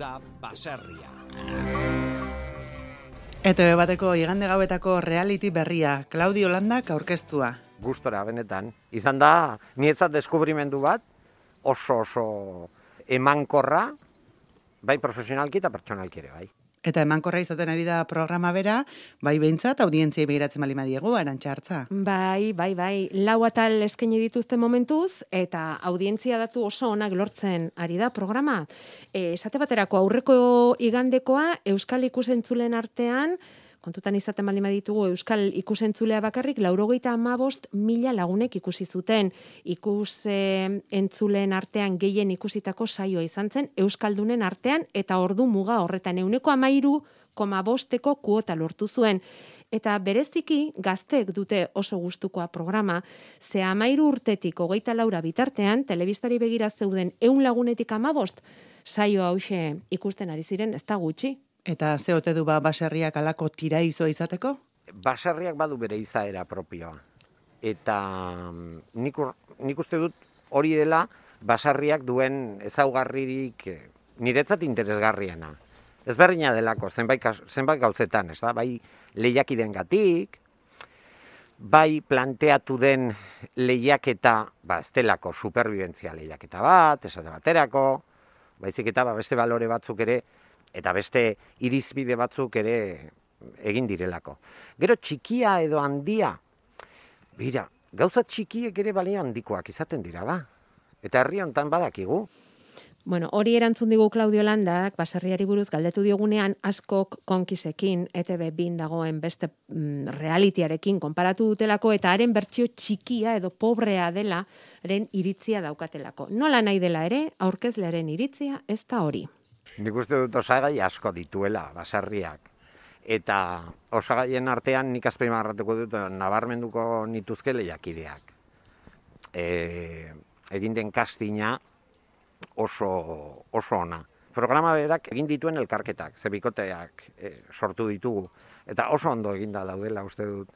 da baserria. ETV bateko igande gauetako reality berria, Claudio Landak aurkeztua. Gustora, benetan. Izan da, nietzat deskubrimendu bat, oso emankorra, bai profesionalki eta pertsonalki ere, bai. Eta emankorra izaten ari da programa bera, bai behintzat, audientziei begiratzen bali madiegu, Arantxa Artza. Bai. 4 atal eskaini dituzte momentuz, eta audientzia datu oso onak lortzen ari da programa. Esate baterako aurreko igandekoa, Euskal ikusentzulen artean, kontutan izaten baldin baditugu Euskal ikusentzulea bakarrik 95.000 lagunek ikusi zuten. Ikusentzuleen artean gehien ikusitako saioa izan zen Euskaldunen artean eta ordu muga horretan 13,5 kuota lortu zuen. Eta bereziki gazteek dute oso gustukoa programa, ze 13 urtetik 24 bitartean telebistari begira zeuden 100 lagunetik 15 saio hauxe ikusten ari ziren, ez da gutxi. Eta ze ote du baserriak alako tiraizoa izateko? Baserriak badu bere izaera propioa. Eta nik uste dut hori dela baserriak duen ezaugarririk niretzat interesgarriena. Ezberdina delako, zenbait gauzetan, ez da? Bai lehiakidengatik, bai planteatu den lehiaketa, ez delako superbibentzia lehiaketa bat, esate baterako, baizik eta beste balore batzuk ere, eta beste irizbide batzuk ere egin direlako. Gero txikia edo handia, gauza txikiek ere balio handikoak izaten dira, ba? Eta herri honetan badakigu. Bueno, hori erantzun digu Claudio Landak, baserriari buruz galdetu diogunean askok konkisekin, ETV bin dagoen beste realityarekin konparatu dutelako, eta haren bertsio txikia edo pobrea dela, haren iritzia daukatelako. Nola nahi dela ere, aurkezlearen iritzia ez da hori. Nik uste dut osagai asko dituela, baserriak. Eta osagaien artean nik azpimarratuko dut nabarmenduko nituzke lehiakideak. Egin den castinga oso ona. Programa berak egin dituen elkarketak, ze bikoteak sortu ditugu. Eta oso ondo eginda daudela uste dut.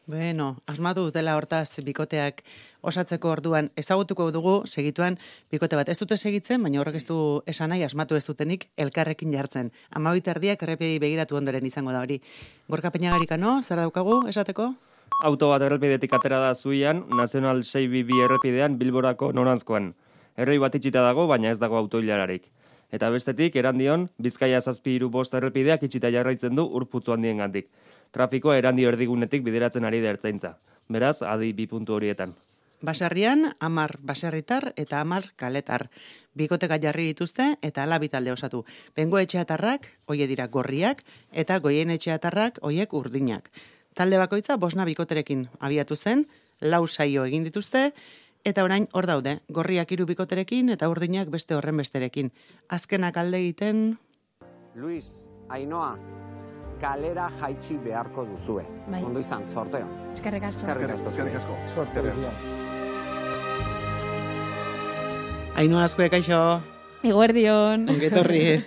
Bueno, asmatu dutela hortaz bikoteak osatzeko orduan ezagutuko dugu segituan bikote bat. Ez dute segitzen, baina horrek ez du esan nahi asmatu ez dutenik elkarrekin jartzen. 12:00 errepidei begiratu ondoren izango da hori. Gorka Peñagarikano, zer daukagu esateko? Auto bat errepidetik atera da zuian, Nazional 622 errepidean Bilborako noranzkoan. Errei bat itxita dago, baina ez dago autoilararik. Eta bestetik, Erandion, Bizkaia 735 errepideak itxita jarraitzen du Urputzu handiengandik. Trafikoa Erandio erdigunetik bideratzen ari da Ertzaintza. Beraz, adi 2 puntu horietan. Baserrian 10 baserritar eta 10 kaletar. Bikoteka jarri dituzte eta hala bi talde osatu. Bengoetxeatarrak, hoe dira gorriak, eta Goienetxeatarrak, hoiek urdinak. Talde bakoitza 5 bikoterekin abiatu zen, 4 saio egin dituzte, eta orain hor daude, gorriak 3 bikoterekin eta urdinak beste horren besterekin. Azkenak alde egiten... Luis, Ainhoa, kalera jaitsi beharko duzue. Bai. Ondo izan, sorteo. Eskerrik asko. Eskerrik asko. Sorteo. Ainhoa Azkue, kaixo, Eguerdion. ongetorri.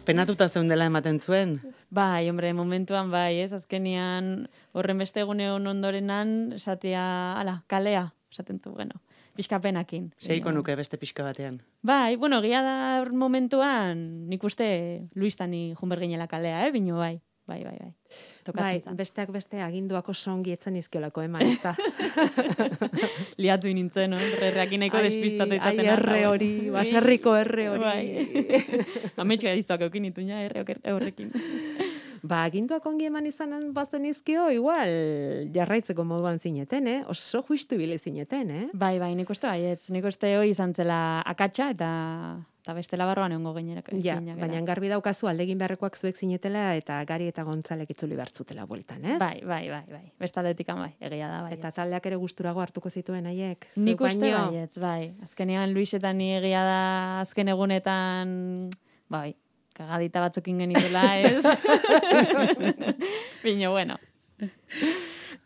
Penatuta zeundela ematen zuen. Bai, hombre, momentuan bai, ez? Azkenian horren beste egune ondorenan esatea, kalea, esaten du, bueno, pixkapenakin. Seiko nuke beste pixka batean. Bai, bueno, egia da momentuan, nik uste Luistani junberginela kalea, bino bai. Bai. Bai, besteak beste aginduako songi etzen izkiolako eman, ez da. Liatu nintzen, no? Erreakin nahiko despistatu izaten. Ai, erre hori, baserriko erre hori. Bai. Ametxoa dizuak eukin ituña, erre horrekin. Ba, aginduak ongi eman izanen bazen izkio, igual jarraitzeko moduan zineten, Oso justu bile zineten, Bai, nik uste baietz. Nik uste hoi izan zela akatsa eta bestela barroan egongo gainerak. Ja, baina garbi daukazu aldegin beharrekoak zuek zinetela eta Gari eta Gontzalek itzuli bertzutela bueltan, ez? Bai. Bestaletikan bai, egia da, bai. Eta taldeak ere gusturago hartuko zituen haiek. Nik uste baietz, bai. Azkenean Luisetan ni egia da azken egunetan, bai, kagadita batzukin genitela, ez? Bino, bueno.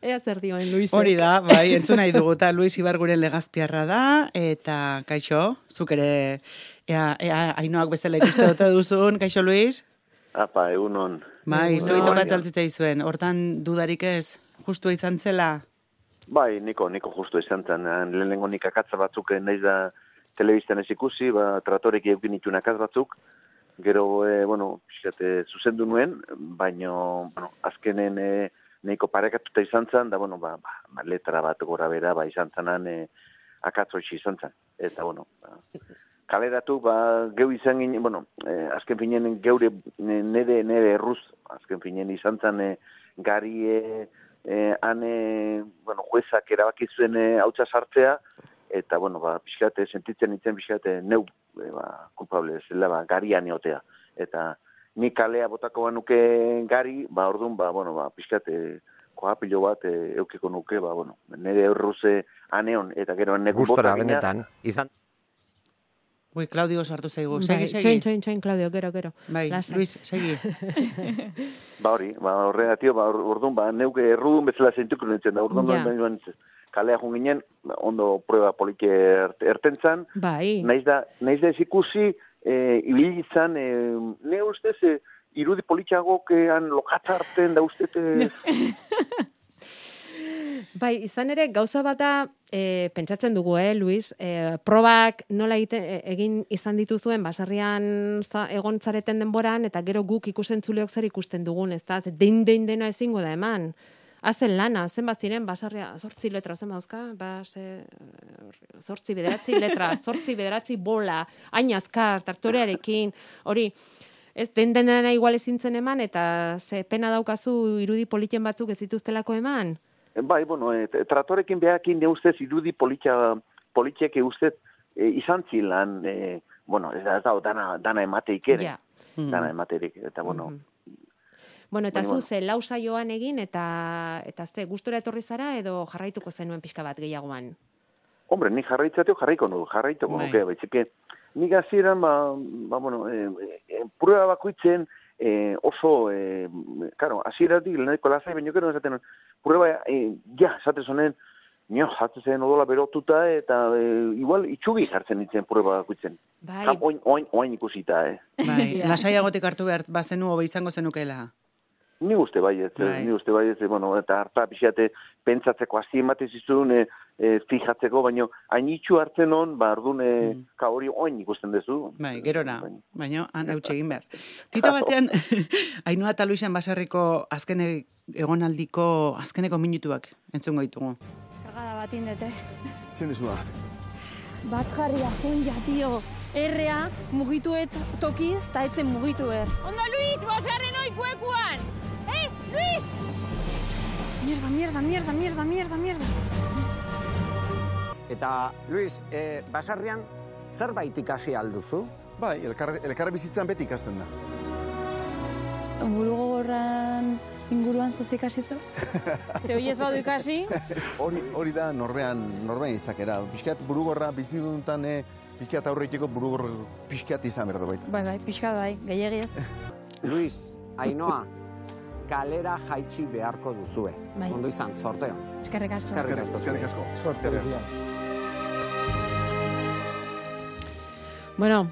Ea zer dioen Luisek. Hori da, bai, entzun nahi dugu, eta Luis Ibarguren legazpiarra da, eta kaixo, zuk ere, Ainhoak bezala ikuste dute duzun, kaixo Luis? Apa, egunon. Bai, zui tokatzaltzitza izuen, hortan dudarik ez, justu izan zela? Bai, niko justu izan zen, lehenengo nik akatza batzuk nahiz da telebistan ez ikusi, tratorek eukin itun akatz batzuk, Gero, pixkat, zuzendu nuen, baino, azkenen nahiko parekatuta izan zen, da, letra bat gora bera, izan zenan, akatzoitzi izan zen. Eta, kaleratu, geu izan ginen, azken finen geure nere erruz, azken finen izan zen, gari, juezak erabaki zuen hautsa sartzea, eta, pixkate, sentitzen nintzen pixkate, neu, kulpable, zela, garian eotea. Eta, ni kalea botako banuke gari, orduan, pixkate, koapilo bat eukiko nuke, nire erruze aneon, eta gero neku Gustora, bota gina. benetan. Izan. Ui, Claudio sartu zaigu. Bai, Segi. txoin, Claudio, gero. Bai, Lasai. Luis, segi. Horregatio, orduan, neuke errudun bezala zentuko nintzen, da, orduan, Ja. kalea jun ginen, ondo prueba polike ertentzan, Bai. naiz da ez ikusi, ibili izan, ne ustez, irudi politxagokean lokatza hartzen da ustez... Bai, izan ere, gauza bata pentsatzen dugu, Luis, probak nola egin izan dituzuen basarrian egon zareten denboran, eta gero guk ikusentzuleok zer ikusten dugun, ez da, dena ezingo da eman. Hazen lana, zenbat ziren, basarria, 8 letra, zen bauzka, 8 letra, 8 bola, hain azkar, traktorearekin, hori, ez dena igual ezintzen eman, eta ze pena daukazu irudi politen batzuk ez dituztelako eman? Bai, tratorekin behakin ne ustez irudi politxeke ustez izan zilan, ez da, dana emateik ere. Ja. Dana ematerik, eta Eta zu ze lau saioan egin, eta ze gustora etorri zara, edo jarraituko zenuen pixka bat gehiagoan? Hombre, ni jarraituko nuke, baitzike. Nik hasieran, prueba bakoitzen oso, hasieratik leheneko lasai, baino gero esaten, prueba, esaten zonen, jatzen zen odola berotuta, eta igual itxugi jartzen nintzen prueba bakoitzen. Bai. Oain ikusita, Bai, lasaiagotik hartu behar bazenu hobe izango zenukela. Ni uste baiet, eta harta pixate pentsatzeko hasi ematen zizun, fijatzeko, baino hain itxu hartzen hon, ardun, hori oain ikusten duzu. Bai, gerora, baina han hautsi egin behar. Tita batean, Ainhoa eta Luisen Baserriko azkeneko minutuak entzungo ditugu. Kagada bat indete. Zein dezu da? Bat jarria zen tio. Errea mugituet tokiz, eta etzen mugitu Ondo, Luis, bosgarren oikuekuan! Luis! Mierda. Eta, Luis, basarrian zerbait ikasi alduzu? Bai, elkarra bizitzan beti ikasten da. Burugogorran inguruan zuzik hasi zu? Ze hori ez badu ikasi? Hori da norbean izakera. Piskat burugorra biziduntan piskat aurreiteko burugor piskat izan berdo baita. Bai, piskat bai, gehiagiez. Luis, Ainhoa, kalera jaitsi beharko duzue. Bai. Ondo izan, sorteo. Eskerrik asko. Eskerrik asko. Sorte berria. Bueno,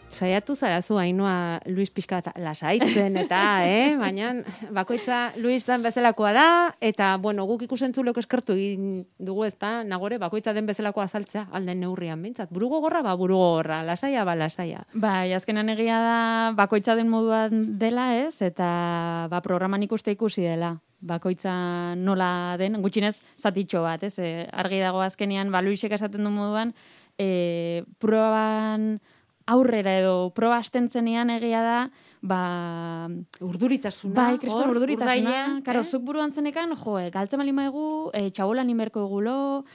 saiatu zarazu Ainhoa Luis pixka lasaitzen eta, baina bakoitza Luis dan bezalakoa da, eta, guk ikusentzuleko eskertu egin dugu ezta, nagore, bakoitza den bezalakoa azaltzea, alden neurrian bintzat. Burugogorra, burugogorra, lasaia, lasaia. Bai, azkenan egia da, bakoitza den moduan dela ez, eta programan ikusi dela. Bakoitza nola den, gutxinez zatitxo bat, ez? Argi dago azkenean, Luisek esaten du moduan, proban aurrera edo proba astentzenean egia da, urduritasuna. Bai, kriston urduritasuna. Karo, urdailean, zuk buruan zenekan, galtzen bali maigu, txabolan inberko egulo,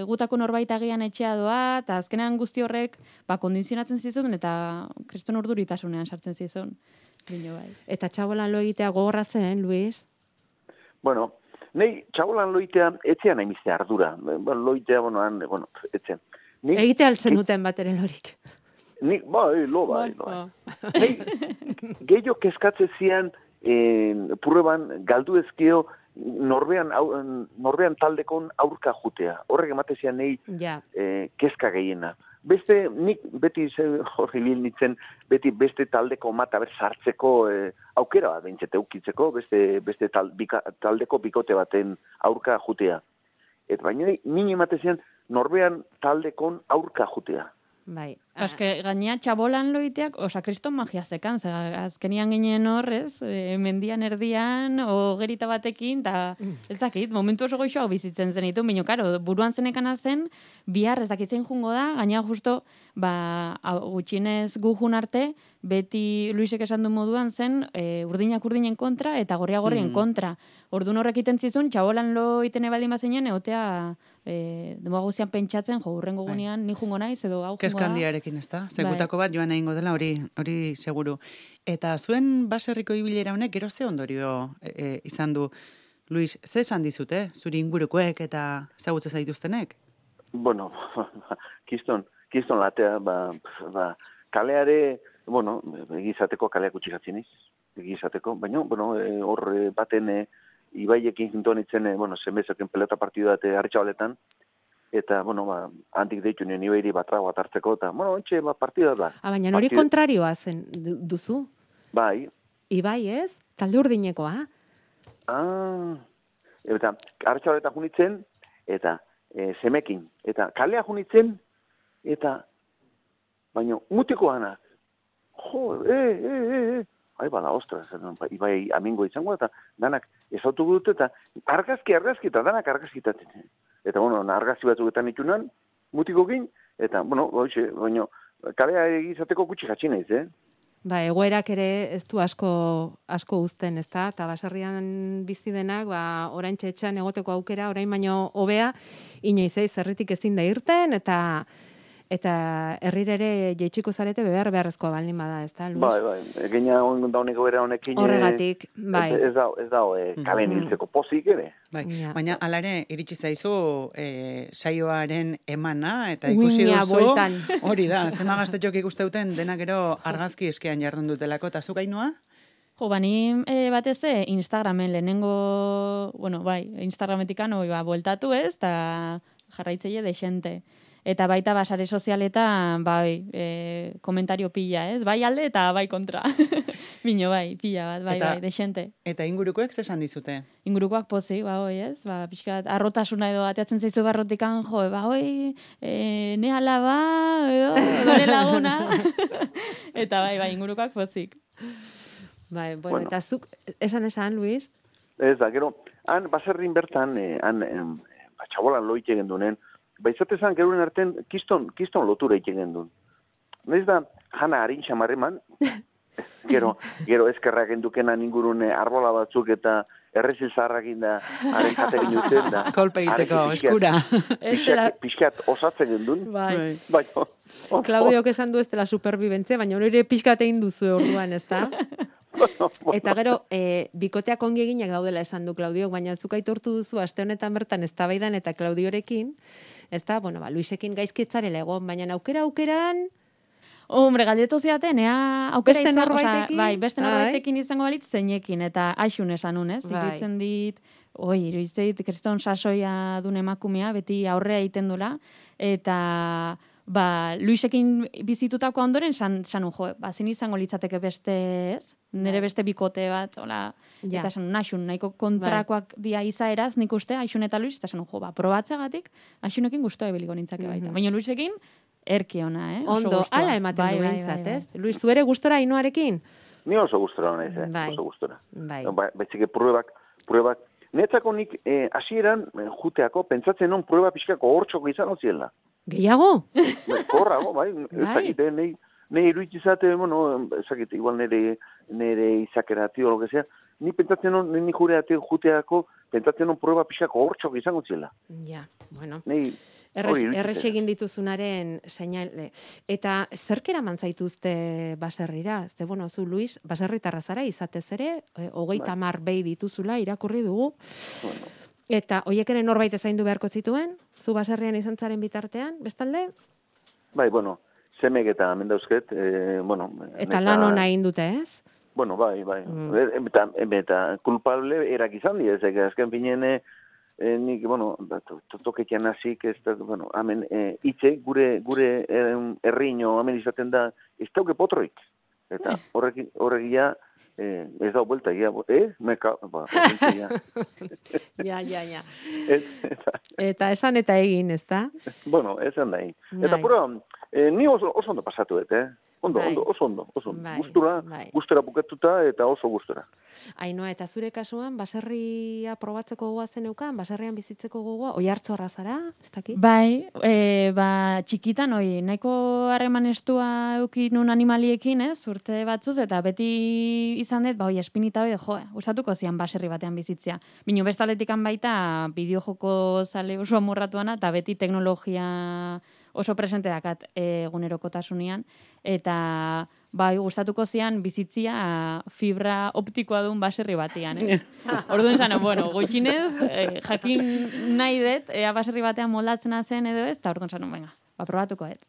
gutako norbait agian etxea doa, eta azkenean guzti horrek, kondizionatzen zizun, eta kriston urduritasunean sartzen zizun. Bino bai. Eta txabolan lo egitea gogorra zen, Luis? Bueno, nahi txabolan loitea etxean haimizte ardura. Loitea, etxean. Egite altzen duten bat ere lorik. Bai. Gehiago kezkatze zian prueban galdu ezkio norbean taldekon aurka jutea. Horrek emate zian nahi kezka gehiena. Beste, nik beti horri bil nintzen, beste taldeko mata sartzeko aukera bat behintzete ukitzeko, beste taldeko bikote baten aurka jutea. Eta baina nini emate zian norbean taldekon aurka jutea. Bai. Eske, gainea txabolan loiteak, osa, kriston magia zekan, azkenian ginen horrez, mendian erdian, gerita batekin, eta ez dakit, momentu oso goixoak bizitzen zenitu, baina, karo, buruan zenekana zen, bihar ez dakitzen jungo da, gainea justo, gutxinez gujun arte, beti Luisek esan du moduan zen, urdinak urdinen kontra, eta gorria gorrien kontra. Ordun horrek iten zizun, txabolan lo itene baldin bazinen, egotea denboa guzian pentsatzen, urrengo gunean ni jungo naiz, edo hau jungo da. Kezkandiarekin, ez da? Segutako bat joan egingo dela, hori seguru. Eta zuen baserriko ibilera honek, gero ze ondorio izan du, Luis, ze esan dizute, zuri ingurukoek eta zagutze zaituztenek? Bueno, kiston latea, kaleare, bueno, egizateko kaleak utxikatzen egizateko, baina, bueno, hor baten ibaiekin jintonitzen, bueno, zenbezoken pelota partidu date hartxabaletan, eta, bueno, handik deitu nien ibairi batrago atartzeko, eta, bueno, ontxe, partida da. Baina hori kontrarioa zen duzu? Bai. Ibai, ez? Talde urdinekoa? Eta, hartxabaletan junitzen, eta zemekin, eta kalea junitzen, eta, baina, mutiko anak, Ai, bada, ostras, ibai amingo izango, eta danak ezautu dute, eta argazki, eta danak argazkitatzen. Eta, bueno, argazki batzuketan itunan, mutikokin, eta, bueno, baina, kalea egizateko gutxi jatxinez, Egoerak ere ez du asko uzten, ez da? Eta baserrian bizi denak, orain txetxean egoteko aukera, orain baino hobea, inoizei zerritik ezin da irten, eta herrirere jeitsiko zarete beharrezkoa baldin bada, ez da, Luis? Bai, egina dauneko era honekin... Horregatik, bai. Ez da, kalen hiltzeko pozik ere. Bai, baina ala ere, iritsi zaizu saioaren emana, eta ikusi duzu, hori da, zema gaztetxok ikusteuten dena gero argazki eskean jardun dutelako, eta zuk Ainhoa? Bani batez Instagramen lehenengo, bueno, bai, Instagrametikan bueltatu ez, eta jarraitzeile desente. Eta baita basare sozialetan, bai, komentario pila, ez? Bai alde eta bai kontra. Bino, bai, pila bat, bai, desente. Eta ingurukoek zesan dizute? Ingurukoak pozik, ez? Pixkat, arrotasuna edo ateatzen zaizu barrotikan, ne alaba, edo ne laguna. Eta bai, ingurukoak pozik. Bai, bueno, eta zuk, esan, Luis? Ez da, gero, han baserrin bertan, txabolan loite gendunen, baizatezan geruren arten kiston lotura egiten duen. Naiz da, jana harin xamarreman, gero eskerrak endukena ingurun arbola batzuk eta errezil zaharrakin da, haren jatekin duten da. Kolpe egiteko, eskura. Pixkat osatzen gendun. Bai. Klaudiok esan du ez dela superbibentze, baina hori pixkat egin duzu orduan, ez da? Eta gero, bikoteak ongi eginak daudela esan du Klaudiok, baina zuk aitortu duzu, aste honetan bertan eztabaidan eta Klaudiorekin, ez da, bueno, Luisekin gaizkitzarela egon, baina aukeran... Hombre, galdetu ziaten, aukera beste norbaitekin? Bai, beste norbaitekin izango balitz zeinekin, eta aixun esan unez, ikutzen dit, iruditzeit, kriston sasoia dun emakumea, beti aurrea egiten dula, eta... Luisekin bizitutako ondoren sanun zin izango litzateke beste, ez? Nere beste bikote bat, eta sanun, aixun, nahiko kontrakoak dia izaeraz, nik uste, aixun eta Luis, eta sanun, probatzagatik, aixunekin guztua ebiliko nintzake baita. Baina Luisekin, erki ona, Ondo, ala ematen du bintzat, ez? Luis, zuere gustora Ainhoarekin? Ni oso gustora honez, oso gustora. Betzike pruebak, netzako nik hasieran juteako, pentsatzen non prueba pixkako hortxoko izan oziela. Gehiago? Horrago, bai. Ezakite, nahi iruditzizate, bueno, ezakite, igual nire izakera, tio, lo que sea, ni pentsatzen non, ni juteako, pentsatzen non prueba pixkako hortxoko izan oziela. Ja, bueno. Errex egin dituzunaren seinale. Eta zerkera mantzaituzte baserrira? Ze, bueno, zu, Luis, baserritarra zara, izatez ere, 30 behi dituzula, irakurri dugu. Bueno. Eta hoiek ere norbait zaindu beharko zituen? Zu baserrian izan zaren bitartean, bestalde? Bai, bueno, zemek eta mendauzket, bueno... Eta lan hona egin dute, ez? Bueno, bai. Eta kulpable erak izan di, ezek, azken finen, nik, bueno, toketian hasik, ez da, bueno, hemen, itxe, gure herriño, hemen izaten da, ez dauke potroik. Eta horregia, ez da buelta, meka, ja. Ja. Eta esan eta egin, ez da? Bueno, esan da egin. Eta pura, Ni oso ondo pasatu dut, Ondo, oso ondo. Bai, Gustura bukatuta eta oso gustura. Ainhoa, eta zure kasuan, baserria probatzeko gogoa zeneukan, baserrian bizitzeko gogoa, oihartzorra zara, ez dakit? Bai, txikitan, nahiko harreman estua eukin nun animaliekin, urte batzuz, eta beti izan dut, espinita gustatuko zian baserri batean bizitzea. Bino bestaletikan baita, bideojoko zale oso amorratuana, eta beti teknologia oso presente dakat egunerokotasunean, eta gustatuko zian bizitzia fibra optikoa duen baserri batean. Orduan zan, gutxinez, jakin nahi dut, baserri batean moldatzen zen edo ez, eta orduan zan, probatuko dut.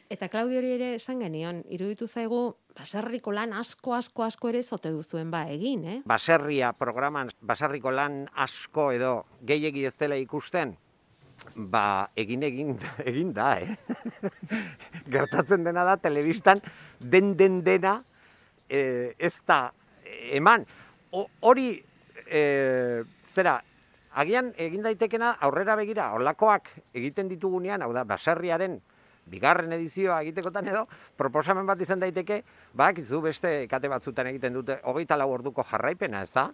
Eta Claudio hori ere esan genion, iruditu zaigu, baserriko lan asko ere zote duzuen egin, Baserria programan, baserriko lan asko edo gehiegi ez dela ikusten, egin da, Gertatzen dena da, telebistan, dena, ez da, eman. Hori, agian egin daitekena aurrera begira, horlakoak egiten ditugunean, hau da, baserriaren bigarren edizioa egitekotan edo, proposamen bat izan daiteke, bakizu beste kate batzutan egiten dute 24 orduko jarraipena, ez da?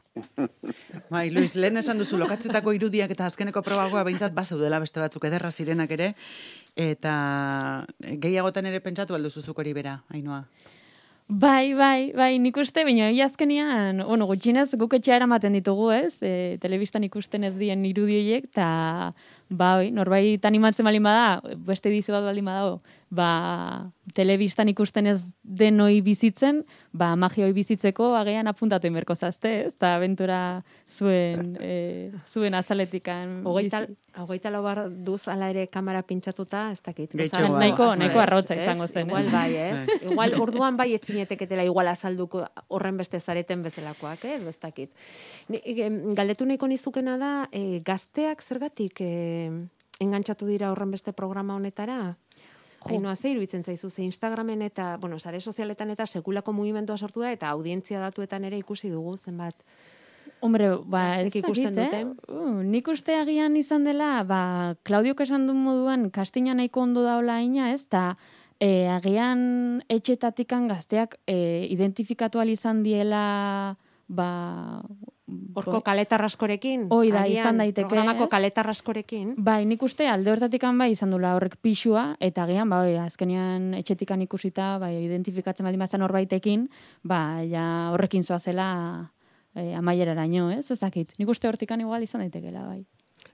Bai, Luis, lehen esan duzu lokatzetako irudiak eta azkeneko probagoa behintzat bazeudela beste batzuk ederra zirenak ere, eta gehiagotan ere pentsatu alduzuzuk hori bera, Ainhoa. Bai, nik uste, baina azkenean, gutxinez guk etxea eramaten ditugu, telebistan ikusten ez dien irudioiek, eta norbait animatzen balin bada, beste edizio bat balin badago, telebistan ikusten ez denoi bizitzen, magioi bizitzeko agian apuntatu inberko zazte, eta abentura zuen azaletikan. Hogeita lau bar duz ala ere kamera pintxatuta, ez dakit. Nahiko arrotza izango zen. Igual bai, ez? Igual orduan bai etzineteketela igual azalduko horren beste zareten bezalakoak, ez dakit. Galdetu nahiko nizukena da, gazteak zergatik engantzatu dira horren beste programa honetara? Ainhoa, ze iruditzen zaizu, ze Instagramen eta, sare sozialetan eta sekulako mugimendua sortu da, eta audientzia datuetan ere ikusi dugu zenbat. Hombre, ez ikusten dute. Nik uste agian izan dela, Claudiok esan duen moduan, kastina nahiko ondo daola ina, ez, eta agian etxetatikan gazteak identifikatu izan diela, Horko kaletarraskorekin? Oida, izan daiteke. Programako kaletarraskorekin? Bai, nik uste alde hortatikan izan dula horrek pixua, eta agian, azkenean etxetikan ikusita, identifikatzen baldin bazan horbaitekin, horrekin zoazela amaieraraino, ez? Ezakit. Nik uste hortikan igual izan daitekela, bai.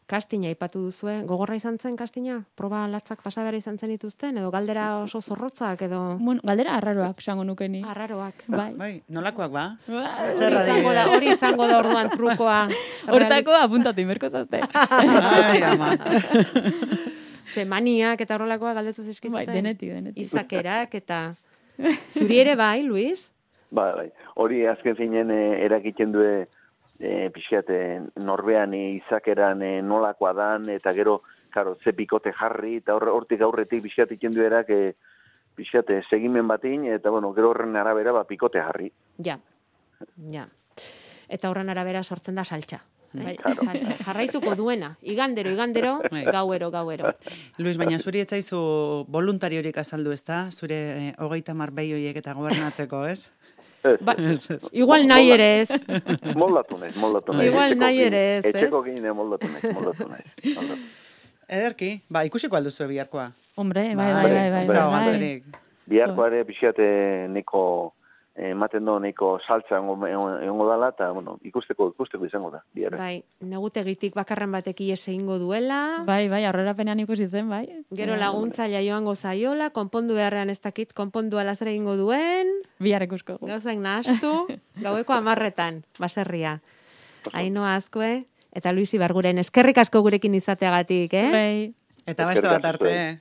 Kastina ipatu duzue, gogorra izan zen kastina? Proba latzak pasabera izan zen dituzten? Edo galdera oso zorrotzak? Galdera arraroak, esango nukeni. Arraroak. Bai, nolakoak Hori izango da orduan trukoa. Hortako apuntatu inberko zazte. Ai, ama. Zemaniak eta horrelakoa galdetu zizkizuten? Bai, denetik. Izakerak eta... Zuri ere bai, Luis? Bai. Hori azken zinen erakiten due pixkat norbean izakeran nolakoa dan, eta gero, ze pikote jarri, eta hortik aurretik pixkat iken duerak pixkat segimen batin, eta gero horren arabera pikote jarri. Ja. Eta horren arabera sortzen da saltxa. Jarraituko duena. Igandero, gauero. Luis, baina zuri etzaizu voluntariorik azaldu, ez da? Zure 30 behioiek eta gobernatzeko, ez? Igual nahi ere ez. Moldatu naiz. Igual nahi ere ez, ez? Etxeko gine moldatu naiz. Ederki, ikusiko alduzu biharkoa. Hombre, bai. Biharkoa ere pixate neko ematen do neko saltza egongo dala, eta ikusteko izango da. Bai, negutegitik bakarren batek ies egingo duela. Bai, aurrerapenean ikusi zen, bai. Gero laguntzailea joango zaiola, konpondu beharrean ez dakit, konpondu alazera egingo duen. Bihar ikusko. Gauzak nahastu, gaueko 10:00 baserria. Ainhoa Azkue eta Luis Ibarguren eskerrik asko gurekin izateagatik, Bai. Eta beste bat arte.